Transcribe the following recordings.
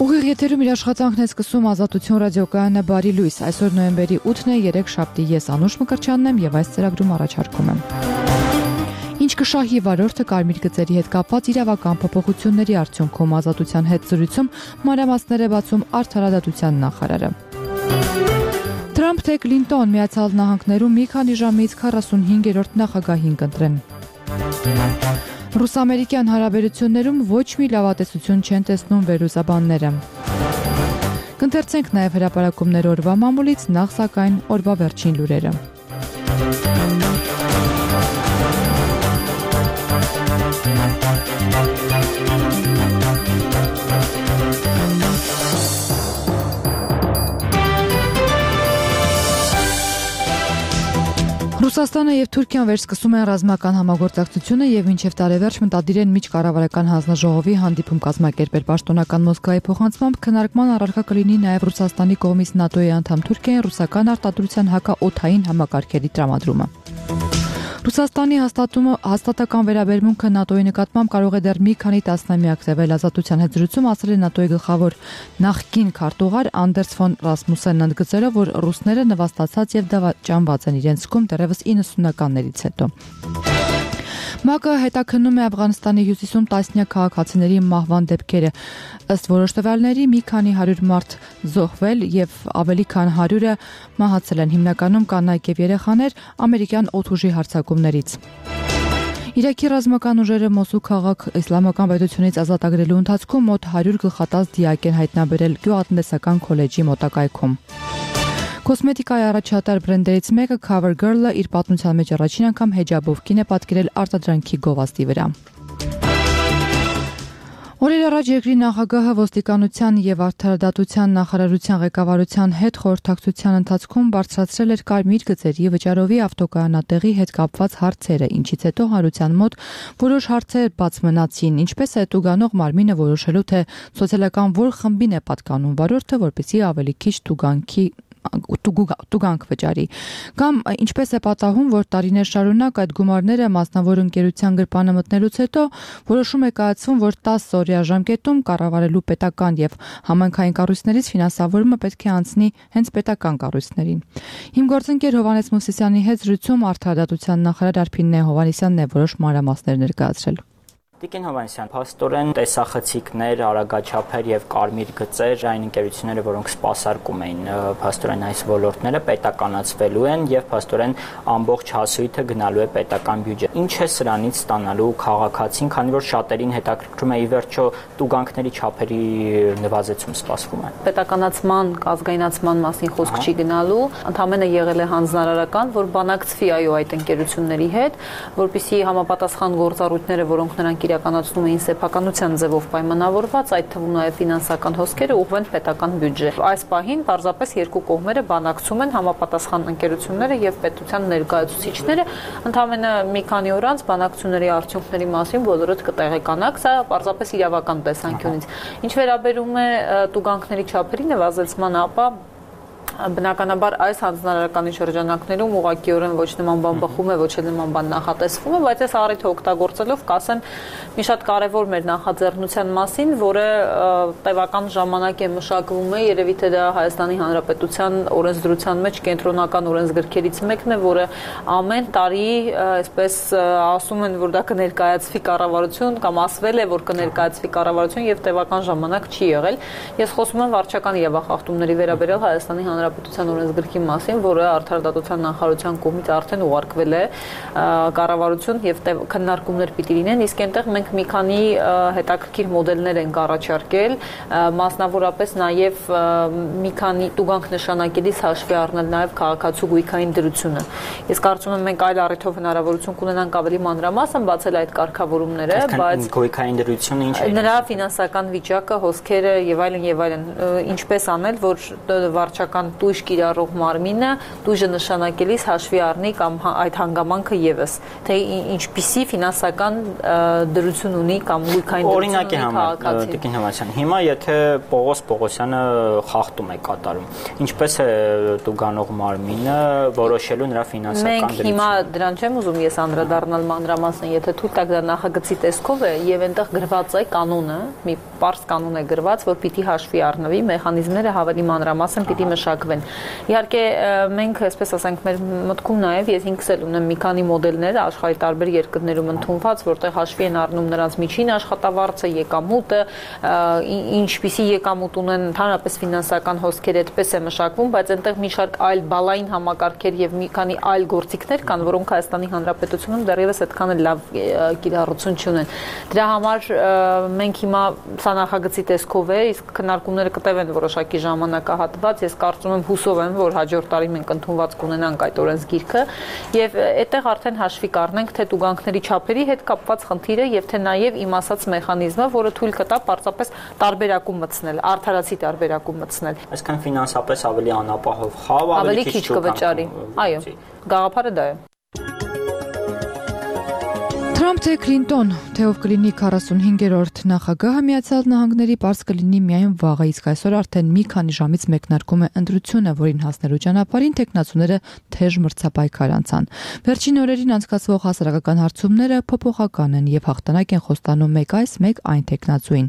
Ուղիղ եթերում իր աշխատանքն է սկսում Ազատություն ռադիոկայանը Բարի լույս։ Այսօր նոյեմբերի 8-ն է, 3 շաբթի, ես Անուշ Մկրտչյանն եմ եւ այս ծրագրում առաջարկում եմ. Ինչ կշահի վարորդը կարմիր գծերի հետ կապված իրավական փոփոխությունների արդյունքում Ազատության հետ զրույցում մանրամասներ է բացում Արդարադատության նախարարը. Թրամփ թե Կլինտոն Միացյալ Նահանգներում մի քանի ժամից 45-րդ նախագահին կընտրեն. Ռուս-ամերիկյան հարաբերություններում ոչ մի լավատեսություն չեն տեսնում վերլուծաբանները. Կընթերցենք նաև հրապարակումներ օրվա մամուլից, նախ սակայն օրվա վերջին լուրերը. Ռուսաստանը եւ Թուրքիան վերսկսում են ռազմական համագործակցությունը եւ մինչեւ տարեվերջ մտադիր են միջկառավարական հանձնաժողովի հանդիպում կազմակերպել պաշտոնական Մոսկվայի փոխանցմամբ քննարկման առարկա կլինի նաեւ Ռուսաստանի կողմից ՆԱՏՕ-ի անդամ Թուրքիային ռուսական արտադրության հակաօդային համակարգերի տրամադրումը։ Ռուսաստանի հաստատական վերաբերմունքը ՆԱՏՕ-ի նկատմամբ կարող է դեռ մի քանի տասնամյակ տևել Ազատության հետ զրույցում ասել է ՆԱՏՕ-ի գլխավոր նախկին քարտուղար Անդերս ֆոն Ռասմուսենն ընդգծելով, որ ռուսները նվաստացած եւ դավաճանված են իրենց կողմ դեռևս 90-ականներից հետո։ ՄԱԿ-ը հետաքննում է Աֆղանստանի հյուսիսում տասնյակ քաղաքացիների մահվան դեպքերը։ Ըստ որոշ տվյալների մի քանի 100 մարդ զոհվել եւ ավելի քան 100-ը մահացել են, հիմնականում կանայք եւ երեխաներ ամերիկյան օդուժի հարձակումներից։ Իրաքի ռազմական ուժերը Մոսուլ քաղաք իսլամական պետությունից ազատագրելու ընթացքում մոտ 100 գլխատած դիակ են հայտնաբերել գյուղատնտեսական քոլեջի մոտակայքում։ Կոսմետիկայի առաջատար բրենդերից մեկը CoverGirl-ը իր պատմության մեջ առաջին անգամ հեջաբով կին է պատկերել արտադրանքի գովազդի վրա։ Օրեր առաջ երկրի նախագահը ոստիկանության եւ արդարադատության նախարարության ղեկավարության հետ խորհրդակցության ընթացքում բարձրացրել էր կարմիր գծերի վճարովի ավտոկայանատեղի հետ կապված հարցերը, ինչից հետո հանրության մոտ որոշ հարցեր բաց մնացին, ինչպես է տուգանող մարմինը որոշելու, թե սոցիալական որ խմբին է պատկանում վարորդը, որպեսզի ավելի քիչ տուգանք վճարի, կամ ինչպես է պատահում, որ տարիներ շարունակ այդ գումարները մասնավոր ընկերության գրպանը մտնելուց հետո որոշում է կայացվում, որ 10 օրյա ժամկետում կառավարելու պետական եւ համայնքային կառույցներից ֆինանսավորումը պետք է անցնի հենց պետական կառույցներին։ Իմ գործընկեր Հովհաննես Մովսիսյանի հետ զրույցում Արդարադատության նախարար Արփին Հովհաննիսյանն է որոշ մանրամասներ ներկայացրել։ Տիկին Հովհաննիսյան, փաստորեն տեսախցիկներ, արագաչափեր եւ կարմիր գծեր այն ընկերությունները, որոնք սպասարկում էին փաստորեն այս ոլորտները, պետականացվելու են եւ փաստորեն ամբողջ հասույթը գնալու է պետական բյուջե։ Ինչ է սրանից ստանալու քաղաքացին, քանի որ շատերին հետաքրքրում է ի վերջո տուգանքների չափերի նվազեցում սպասվում է։ Պետականացման, ազգայնացման մասին խոսք չի գնալու, ընդհանրապես եղել է հանձնարարական, որ բանակցվի այդ ընկերությունների հետ, որպեսզի համապատասխան գործառույթները, որոնք նրանք իրականացնում էին սեփականության ձևով պայմանավորված, այդ թվում նաև ֆինանսական հոսքերը ուղղվեն պետական բյուջե։ Այս պահին պարզապես երկու կողմերը բանակցում են համապատասխան ընկերությունները եւ պետության ներկայացուցիչները, ընդհանրապես մի քանի օր անց բանակցությունների արդյունքների մասին բոլորդ կտեղեկանաք, սա պարզապես իրավական տեսանկյունից։ Ինչ վերաբերում է տուգանքների չափերի նվազեցման, ապա բնականաբար այս հանձնարարականի շրջանակներում ուղղակիորեն ոչ նման բան բխում է, ոչ էլ նման բան նախատեսվում է, բայց այս առիթը օգտագործելով կասեմ մի շատ կարևոր մեր նախաձեռնության մասին, որը տևական ժամանակ է մշակվում է, երևի թե դա Հայաստանի Հանրապետության օրենսդրության մեջ կենտրոնական օրենսգրքերից մեկն է, որը ամեն տարի այսպես ասում են, որ դա կներկայացվի կառավարություն կամ ասվել է, որ կներկայացվի կառավարություն եւ տևական ժամանակ չի եղել։ Ես խոսում եմ վարչական իրավախախտումների վերաբերյալ Հայաստանի Հանրապետության օրենսգրքի մասին, որը Արդարադատության նախարարության կողմից արդեն ուղարկվել է կառավարություն եւ քննարկումներ պիտի լինեն, իսկ այնտեղ մենք մի քանի հետաքրքիր մոդելներ ենք առաջարկել, մասնավորապես նաեւ մի քանի տուգանք նշանակելիս հաշվի առնել նաեւ քաղաքացու գույքային դրությունը։ Ես կարծում եմ մենք այլ առիթով հնարավորություն կունենանք ավելի մանրամասն բացել այդ կարգավորումները, բայց գույքային դրությունը ինչ է։ Նրա ֆինանսական վիճակը, հոսքերը եւ այլն, ինչպես անել, որ վարչական տույժ կիրառող մարմինը տույժը նշանակելիս հաշվի առնի կամ այդ հանգամանքը եւս, թե ինչպիսի ֆինանսական դրություն ունի կամ գույքային օրինակ է համար Տիկին Հովհաննիսյան, հիմա եթե Պողոս Պողոսյանը խախտում է կատարում, ինչպես է տուգանող մարմինը որոշելու նրա ֆինանսական դրությունը։ Մենք հիմա դրան չեմ ուզում ես անդրադառնալ մանրամասն, եթե թույլ տաք դա նախագծի տեսքով է եւ այնտեղ գրված է կանոնը, մի պարզ կանոն է գրված, որ պիտի հաշվի առնվի, մեխանիզմները ավելի մանրամասն պիտի մշակվեն։ Իհարկե մենք, այսպես ասենք, մեր մտքում նաեւ ես ինքս էլ ունեմ մի քանի մոդելներ աշխարհի տարբեր երկրներում ընդունված, որտեղ հաշվի են առնում նրանց միջին աշխատավարձը, եկամուտը, ինչպիսի եկամուտ ունեն, ընդհանրապես ֆինանսական հոսքեր այդպես է մշակվում, բայց այնտեղ մի շարք այլ բալային համակարգեր եւ մի քանի այլ գործիքներ կան, որոնք Հայաստանի Հանրապետությունում դեռևս այդքան էլ լավ կիրառություն չունեն։ Դրա համար մենք հիմա սա նախագծի տեսքով է, իսկ քննարկումները կտևեն որոշակի ժամանակահատված, ես կարծում եմ հուսով եմ, որ հաջորդ տարի մենք ընդունված կունենանք այդ օրենսգիրքը եւ այդտեղ արդեն հաշվի կառնենք թե տուգանքների չափերի հետ կապված խնդիրը եւ թե նաեւ իմ ասած մեխանիզմը, որը թույլ կտա պարզապես տարբերակում մտցնել, արդարացի տարբերակում մտցնել։ Այսինքն ֆինանսապես ավելի անապահով խավ, ավելի քիչ կվճարի։ Այո, գաղափարը դա է։ Թրամփ թե Քլինտոն, թե ով կլինի 45-րդ նախագահը Միացյալ Նահանգների պարզ կլինի միայն վաղը, իսկ այսօր արդեն մի քանի ժամից մեկնարկում է ընտրությունը, որին հասնելու ճանապարհին տեխնացուները թեժ մրցապայքար անցան։ Վերջին օրերին անցկացվող հասարակական հարցումները փոփոխական են եւ հաղթանակ են խոստանում մեկ այս, մեկ այն տեխնացուին։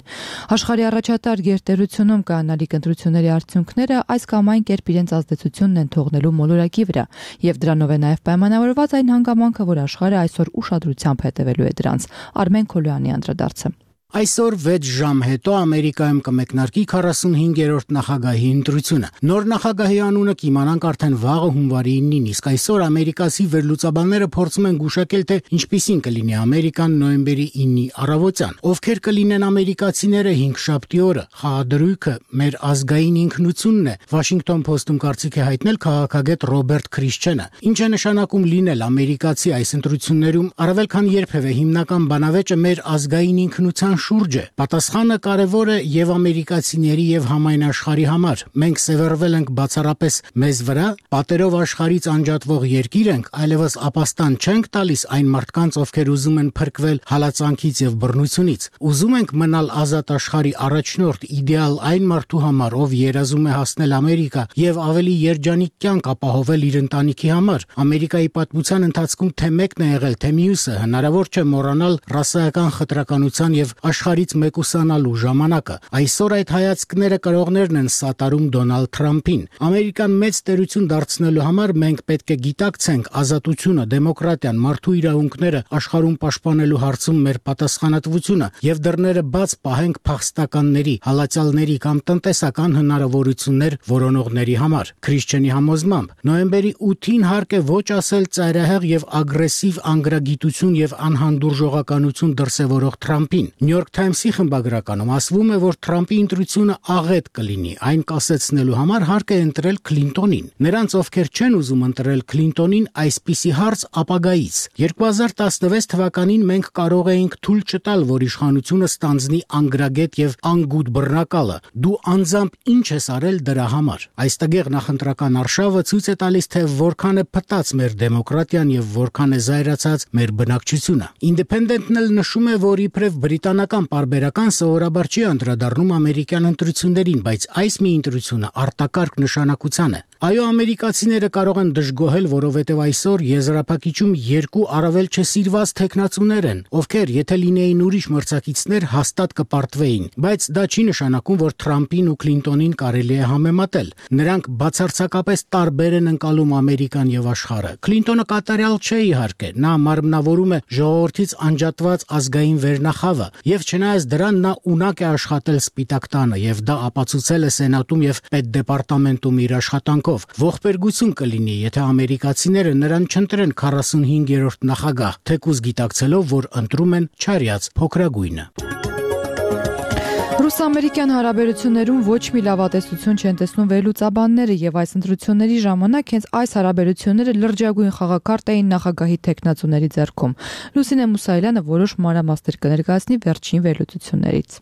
Աշխարհի առաջատար գերտերությունում կանալիք ընտրությունների արդյունքները այս կամ այն կերպ իրենց ազդեցությունն են թողնելու մոլորակի վրա եւ դրանով է նաեւ պայմանավորված այն հանգամանքը, որ աշխարհը այսօր ուշադրությամբ հետևելու է դրանց։ Արմեն Քոլյանի անդրադարձը։ Այսօր 6 ժամ հետո Ամերիկայում կմեկնարկի 45-րդ նախագահի ընտրությունը։ Նոր նախագահի անունը կիմանանք արդեն վաղը հունվարի 9-ին, իսկ այսօր ամերիկացի վերլուծաբանները փորձում են գուշակել, թե ինչպիսին կլինի Ամերիկան նոյեմբերի 9-ի առավոտյան։ Ովքեր կլինեն ամերիկացիները 5-շաբթի օրը։ Խաղադրույքը մեր ազգային ինքնությունն է, Washington Post-ում կարծիք է հայտնել քաղաքագետ Ռոբերտ Քրիշչենը։ Ինչ է նշանակում լինել ամերիկացի այս ընտրություններում, առավել քան երբևէ հիմնական բանավեճը մեր ազգային ինքնության շուրջ է։ Պատասխանը կարևոր է եւ ամերիկացիների եւ համայն աշխարհի համար։ Մենք սևեռվել ենք բացառապես մեզ վրա, պատերով աշխարհից անջատվող երկիր ենք, այլևս ապաստան չենք տալիս այն մարդկանց, ովքեր ուզում են փրկվել հալածանքից եւ բռնությունից։ Ուզում ենք մնալ ազատ աշխարհի առաջնորդ, իդեալ այն մարդու համար, ով երազում է հասնել Ամերիկա եւ ավելի երջանիկ կյանք ապահովել իր ընտանիքի համար։ Ամերիկայի պատմության ընթացքում թե մեկն է եղել, թե մյուսը, հնարավոր չէ մոռանալ ռասայական խտրականության եւ աշխարհից մեկուսանալու ժամանակը։ Այսօր այդ հայացքները կրողներն են սատարում Դոնալդ Թրամփին։ Ամերիկան մեծ տերություն դարձնելու համար մենք պետք է գիտակցենք ազատությունը, դեմոկրատիան, մարդու իրավունքները աշխարհում պաշտպանելու հարցում մեր պատասխանատվությունը եւ դռները բաց պահենք փախստականների, հալածյալների կամ տնտեսական հնարավորություններ որոնողների համար։ Քրիշչենի համոզմամբ նոյեմբերի 8-ին հարկ է ոչ ասել ծայրահեղ եւ ագրեսիվ անգրագիտություն եւ անհանդուրժողականություն դրսեւորող Թրամփին։ New York Times-ի խմբագրականում ասվում է, որ Թրամփի ընտրությունը աղետ կլինի, այն կասեցնելու համար հարկ է ընտրել Քլինտոնին։ Նրանց, ովքեր չեն ուզում ընտրել Քլինտոնին, այսպիսի հարց ապագայից։ 2016 թվականին մենք կարող էինք թույլ չտալ, որ իշխանությունը ստանձնի անգրագետ եւ անգութ բռնակալը։ Դու անձամբ ինչ ես արել դրա համար։ Այս տգեղ նախընտրական արշավը ցույց է տալիս, թե որքան է փտած մեր դեմոկրատիան եւ որքան է զայրացած մեր բնակչությունը։ Independent-ն էլ նշում է, որ իբրև բրիտանական պարբերական սովորաբար չի անդրադառնում ամերիկյան ընտրություններին, բայց այս մի ընտրությունը արտակարգ նշանակության է։ Այո, ամերիկացիները կարող են դժգոհել, որովհետև այսօր եզրափակիչում երկու առավել չսիրված տեխնացուներ են, ովքեր եթե լինեին ուրիշ մրցակիցներ, հաստատ կպարտվեին, բայց դա չի նշանակում, որ Թրամփին ու Քլինտոնին կարելի է համեմատել։ Նրանք բացարձակապես տարբեր են ընկալում Ամերիկան եւ աշխարհը։ Քլինտոնը կատարյալ չէ իհարկե, նա մարմնավորում է ժողովրդից անջատված ազգային վերնախավը, եւ չնայած դրան նա ունակ է աշխատել Սպիտակ տանը եւ դա ապացուցել է Սենատում եւ Պետդեպարտամենտում իր աշխատանքով։ Ողբերգություն կլինի, եթե ամերիկացիները նրան չընտրեն 45-րդ նախագահ, թեկուզ գիտակցելով, որ ընտրում են չարյաց փոքրագույնը։ Ռուս-ամերիկյան հարաբերություններում ոչ մի լավատեսություն չեն տեսնում վերլուծաբանները եւ այս ընտրությունների ժամանակ հենց այս հարաբերությունները լրջագույն խաղակարտ էին նախագահի տեխնացուների ձեռքում։ Լուսինե Մուսայելյանը որոշ մանրամասներ կներկայացնի վերջին վերլուծություններից։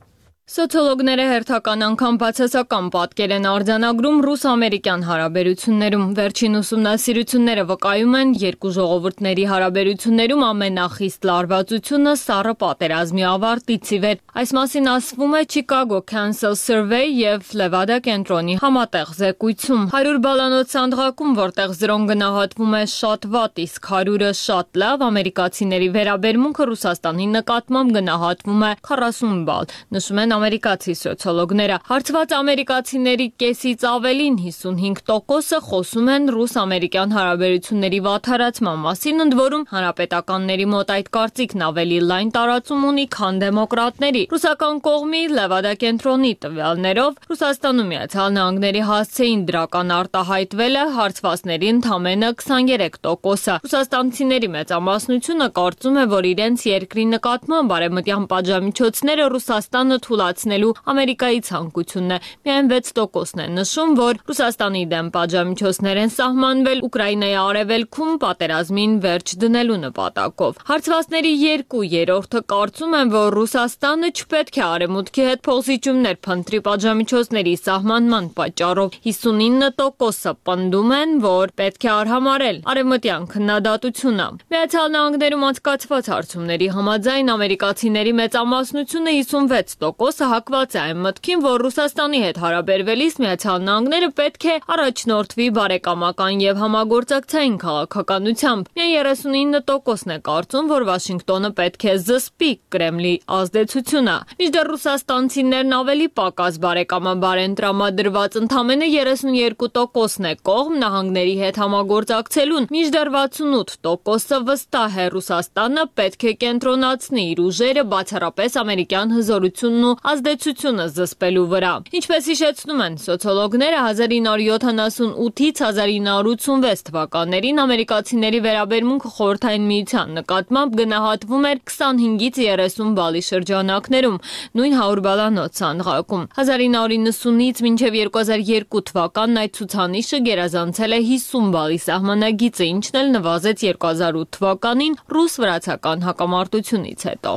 Սոցիոլոգները հերթական անգամ բացասական պատկեր են արձանագրում ռուս-ամերիկյան հարաբերություններում։ Վերջին ուսումնասիրությունները վկայում են, երկու ժողովուրդների հարաբերություններում ամենախիստ լարվածությունը սառը պատերազմի ավարտից ի վեր։ Այս մասին ասվում է Chicago Council Survey և Levada կենտրոնի համատեղ զեկույցում։ 100 բալանոց սանդղակում, որտեղ 0-ն գնահատվում է շատ վատ, իսկ 100-ը շատ լավ, ամերիկացիների վերաբերմունքը Ռուսաստանի նկատմամբ գնահատվում է 40 բալ, նշում են ամերիկացի սոցիոլոգները։ Հարցված ամերիկացիների կեսից ավելին 55%-ը խոսում են ռուս-ամերիկյան հարաբերությունների վատթարացման մասին, ընդ որում հանրապետականների մոտ այդ կարծիքն ավելի լայն տարածում ունի, քան դեմոկրատների։ Ռուսական կողմի Լևադա կենտրոնի տվյալներով Ռուսաստանում Միացյալ Նահանգների հասցեին դրական արտահայտվել է հարցվածների ընդամենը 23%-ը։ Ռուսաստանցիների մեծամասնությունը կարծում է, որ իրենց երկրի նկատմամբ արևմտյան պատժամիջոցները Ռուսաստանը թույլատնելու Ամերիկայի ցանկությունն է։ Միայն 6%-ն է նշում, որ Ռուսաստանի դեմ պատժամիջոցներ են սահմանվել Ուկրաինայի արևելքում պատերազմին վերջ դնելու նպատակով։ Հարցվածների 2/3-ը կարծում են, որ Ռուսաստանը չպետք է արևմուտքի հետ փոխզիջումներ փնտրի պատժամիջոցների սահմանման պատճառով։ 59%-ը պնդում են, որ պետք է արհամարել արևմտյան քննադատությունը։ Միացյալ Նահանգներում անցկացված հարցումների համաձայն ամերիկացիների մեծամասնությունը 56%-ը հակված է այն մտքին, որ Ռուսաստանի հետ հարաբերվելիս Միացյալ Նահանգները պետք է առաջնորդվի բարեկամական եւ համագործակցային քաղաքականությամբ։ Միայն 39%-ն է կարծում, որ Վաշինգտոնը պետք է զսպի Կրեմլի ազդեցությունը։ Մինչդեռ ռուսաստանցիներն ավելի պակաս բարեկամաբար են տրամադրված, ընդամենը 32%-ն է կողմ նահանգների հետ համագործակցելուն, մինչդեռ 68%-ը վստահ է Ռուսաստանը պետք է կենտրոնացնի իր ուժերը բացառապես ամերիկյան հզորությունն ու ազդեցությունը զսպելու վրա։ Ինչպես հիշեցնում են սոցիոլոգները, 1978-ից 1986 թվականներին ամերիկացիների վերաբերմունքը Խորհրդային Միության նկատմամբ գնահատվում էր 25-ից 30 բալի շրջանակներում, նույն 100 բալանոց սանդղակում։ 1990-ից մինչև 2002 թվականն այդ ցուցանիշը գերազանցել է 50 բալի սահմանագիծը, ինչն էլ նվազեց 2008 թվականին ռուս-վրացական հակամարտությունից հետո։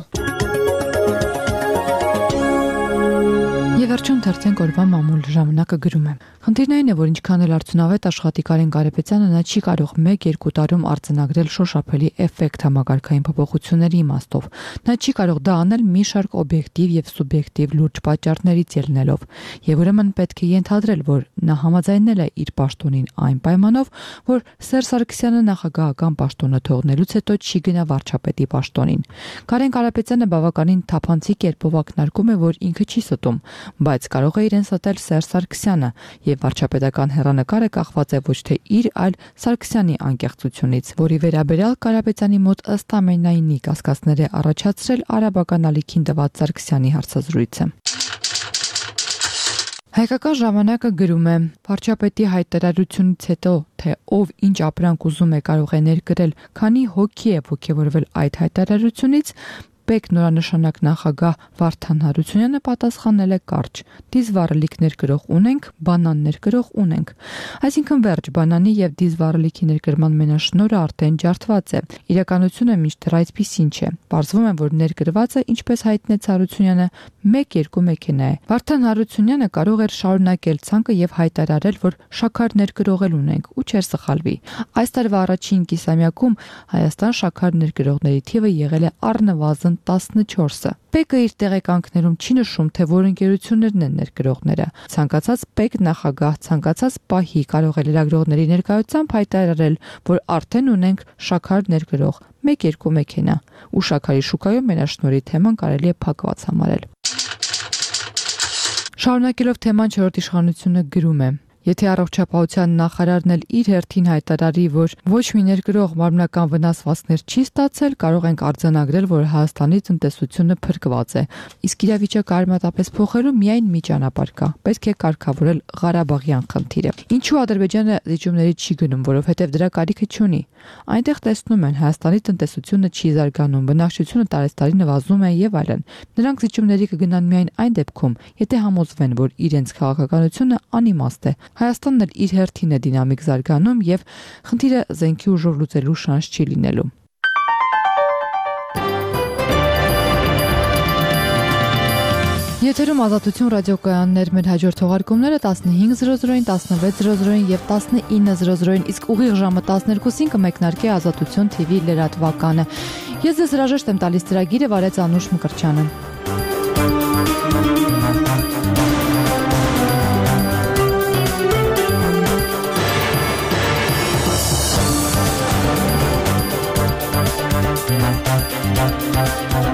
Եվ վերջում թերթենք օրվա մամուլ ժամանակը գրում է. Խնդիրն այն է, որ ինչքան էլ արդյունավետ աշխատի Կարեն Կարապետյանը, նա չի կարող 1-2 տարում արձանագրել շոշափելի էֆեկտ համագարկային փոփոխությունների իմաստով։ Նա չի կարող դա անել մի շարք օբյեկտիվ եւ սուբյեկտիվ լուրջ պատճառներից ելնելով, եւ ուրեմն պետք է ենթադրել, որ նա համաձայնել է իր պաշտոնին այն պայմանով, որ Սերժ Սարգսյանը նախագահական պաշտոնը թողնելուց հետո չի գնա վարչապետի պաշտոնին։ Կարեն Կարապետյանը բավականին թափանցիկ կերպով ակնարկում է, որ ինքը չի ստում, բայց կարող է իրեն ստել Սերժ Սարգսյանը, եւ վարչապետական հեռանկարը կախված է ոչ թե իր, այլ Սարգսյանի անկեղծությունից, որի վերաբերյալ Կարապետյանի մոտ ըստ ամենայնի կասկածներ է առաջացրել արաբական ալիքին տված Սարգսյանի հարցազրույցը։ Հայկական ժամանակը գրում է. վարչապետի հայտարարությունից հետո, թե ով ինչ ապրանք ուզում է կարող է ներկրել, քանի հոգի է ոգևորվել այդ հայտարարությունից, Պետք նորանշանակ նախագահ Վարդան Հարությունյանը պատասխանել է կարճ. դիզվառելիքներ գրող ունենք, բանաններ գրող ունենք։ Այսինքն վերջ, բանանի եւ դիզվառելիքի ներկրման մենաշնորհը արդեն ջարդված է։ Իրականությունը միշտ այսպիսին չէ։ Պարզվում է, որ ներկրվածը, ինչպես հայտնեց Հարությունյանը, 1-2 մեքենա է։ Վարդան Հարությունյանը կարող էր շարունակել ցանկը եւ հայտարարել, որ շաքար ներկրողել ունենք ու չէր սխալվի։ Այս տարվա առաջին կիսամյակում Հայաստան շաքար ներկրողների թիվը եղել է առնվազն 14-ը։ Պեկը իր տեղեկանքներում չի նշում, թե որ ընկերություններն են ներկրողները։ Ցանկացած պեկ նախագահ, ցանկացած պահի կարող է լրագրողների ներկայությամբ հայտարարել, որ արդեն ունենք շաքար ներկրող 1-2 մեքենա, ու շաքարի շուկայում մենաշնորհի թեման կարելի է փակված համարել։ Շարունակելով թեման, չորրորդ իշխանությունը գրում է. Եթե առողջապահության նախարարն էլ իր հերթին հայտարարի, որ ոչ մի ներկրող մարմնական վնասվածքներ չի ստացել, կարող ենք արձանագրել, որ Հայաստանի տնտեսությունը փրկված է։ Իսկ իրավիճակը արմատապես փոխելու միայն մի ճանապարհ կա։ Պետք է կարգավորել Ղարաբաղյան խնդիրը։ Ինչու Ադրբեջանը զիջումների չի գնում, որովհետև դրա կարիքը չունի։ Այնտեղ տեսնում են, Հայաստանի տնտեսությունը չի զարգանում, բնակչությունը տարեցտարի նվազում է եւ այլն։ Նրանք զիջումների կգնան միայն այն դեպքում, եթե համոզվեն, որ իրենց քաղաքականությունը անիմաստ է։ Հայաստանն էլ իր հերթին է դինամիկ զարգանում եւ խնդիրը զենքի ուժով լուծելու շանս չի լինելու։ Եթերում Ազատություն ռադիոկայաններ, մեր հաջորդ թողարկումները 15:00-ին, 16:00-ին եւ 19:00-ին, իսկ ուղիղ ժամը 12-ին կմեկնարկի Ազատություն TV լրատվականը։ Ես ձեզ հրաժեշտ եմ տալիս ծրագիրը, վարեց Անուշ Մկրտչյանը։ We'll be right back.